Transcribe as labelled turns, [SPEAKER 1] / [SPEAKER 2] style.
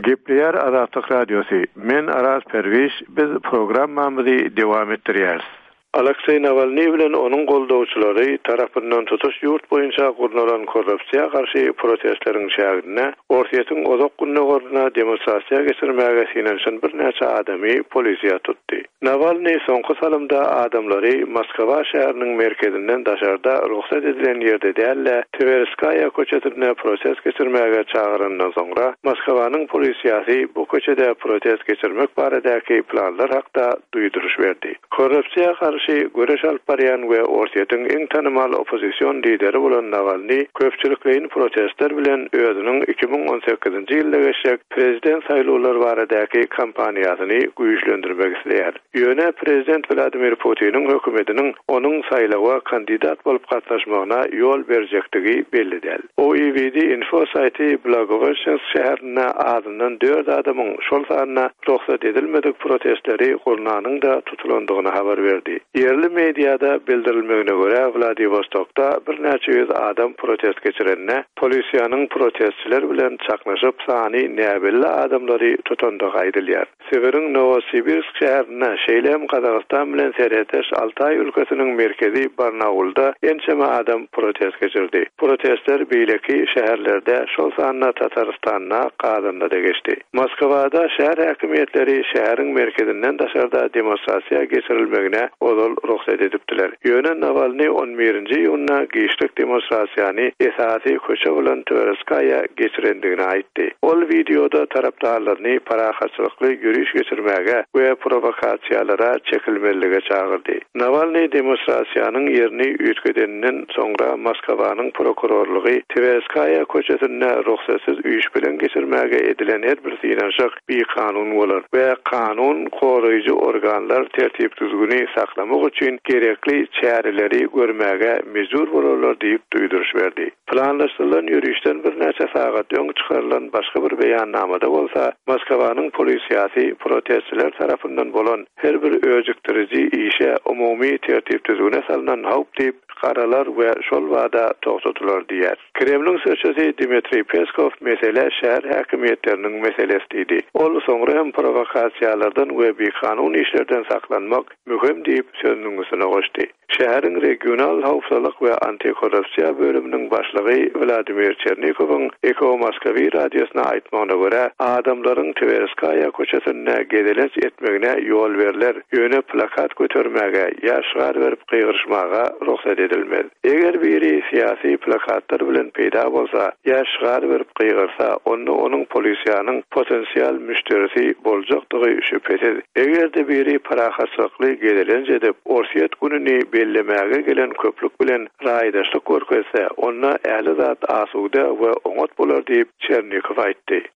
[SPEAKER 1] Gepleýär Azatlyk Radiosy, Men Araz Perwiş, biz programmamyzy dowam etdirýäris. Alekseý Nawalnyý bilen onuň goldawçylary tarapyndan tutuş ýurt boýunça gurnalan korrupsiýa garşy protestleriň çäginde Orsýetiň Uzak Gündogarynda demonstrasiýa geçirmäge synanyşan birnäçe adamy polisiýa tutdy. Nawalnyý soňky salymda adamlary Moskwa şäheriniň merkezinden daşarda rugsat edilen ýerde däl-de, Twerskaýa köçesinde protest geçirmäge çagyrandan soňra, Moskwanyň polisiýasy bu köçede protest geçirmek baradaky planlar hakda duýduryş berdi. Korrupsiýa garşy göreş alyp barýan we Orsýetiň iň tanymal oppozision lideri bolan Nawalnyý köpçülikleýin protestler bilen özüniň 2018-nji ýylda geçjek prezident saýlawlary baradaky kampaniýasyny güýçlendirmek isleýär. Ýöne prezident Wladimir Putiniň hökümetiniň onuň saýlawa kandidat bolup gatnaşmagyna ýol berjekdigi belli däl. OIWD Info saýty Blagoweşçensk şäherinde azyndan dört adamyň, şol sanda rugsat edilmedik protestleri gurnanyň-da tutulandygyny habar berdi. Ýerli mediada bildirilmegine görä, Wladiwostokda birnäçe ýüz adam protest geçirende, polisiýanyň protestçiler bilen çaknyşyp, sany näbelli adamlary tutandygy aýdylýar. Sibiriň Nowosibirsk şäherinde, şeýle hem Gazagystan bilen serhetdeş Altaý ülkesiniň merkezi Barnaulda ençeme adam protest geçirdi. Protestler beýleki şäherlerde, şol sanda Tatarystanda, Kazanda-da geçdi. Moskwada şäher häkimiýetleri şäheriň merkezinden daşarda demonstrasiýa geçirilmegine ozal rugsat edipdiler. Ýöne Nawalnyý on birinji iýunda giçlik demonstrasiýany esasy köçe bolan Twerskaýa geçirendigini aýtdy. Ol wideoda tarapdarlaryny parahatçylykly ýöriş geçirmäge we prowokasiýalara çekilmezlige çagyrdy. Nawalnyý demonstrasiýanyň ýerini üýtgedeninden soňra Moskwanyň prokurorlygy Twerskaýa köçesinde rugsatsyz üýşmeleň geçirmäge edilen her bir synanyşyk bikanun bolar we kanun goraýjy organlar tertip-düzgüni saklamak üçin gerekli çäreleri görmäge mejbur bolarlar diýip duýduryş berdi. Planlaşdyrylan ýörişden birnäçe sagat öň çykarylan başga bir beýannamada bolsa Moskwanyň polisiýasy protestçiler tarapyndan bolan her bir öjükdiriji işe umumy tertip-düzgüne salnan howp diýip garalar we şol bada togtadylar diýýär. Kremliň sözçüsi Dmitriý Peskow mesele şäher häkimiýetleriniň meselesi diýdi. Ol soňra hem prowokasiýalardan we bikanun işlerden saklanmak möhüm diýip sözüniň üstüne goşdy. Şäheriň regional howpsuzlyk we antikorrupsiýa bölüminiň başlygy Wladimir Çernikowyň Eho Moskwy radiosyna aýtmagyna görä, adamlaryň Twerskaýa köçesinde gezelenç etmegine ýol berler, ýöne plakat götermäge ýa şygar berip gygyryşmaga rugsat edilmez. Eger biri syýasy plakatlar bilen peýda bolsa ýa şygar berip gygyrsa, onda onuň polisiýanyň potensial müşderisi boljakdygy şübhesiz. Eger-de biri parahatçylykly gezelenç edip, Orsýet gününi bellemäge gelen köplük bilen raýdaşlyk görkezse, onda ähli zat asuda we oňat bolar diýip, Çernikow aýtdy.